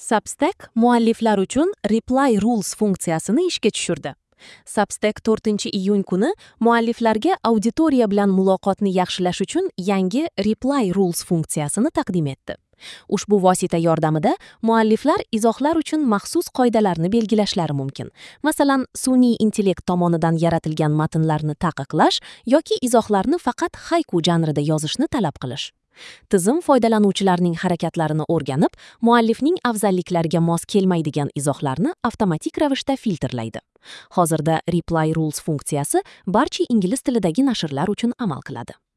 Substack mualliflar uchun Reply Rules funksiyasini ishga tushirdi. Substack 4-iyun kuni mualliflarga auditoriya bilan muloqotni yaxshilash uchun yangi Reply Rules funksiyasini taqdim etdi. Ushbu vosita yordamida mualliflar izohlar uchun maxsus qoidalarni belgilashlari mumkin. Masalan, sun'iy intellekt tomonidan yaratilgan matnlarni taqiqlash yoki izohlarni faqat hayku janrida yozishni talab qilish. Tizim foydalanuvchilarning harakatlarini o'rganib, muallifning afzalliklariga mos kelmaydigan izohlarni avtomatik ravishda filtrlaydi. Hozirda Reply Rules funksiyasi barcha ingliz tilidagi nashrlar uchun amal qiladi.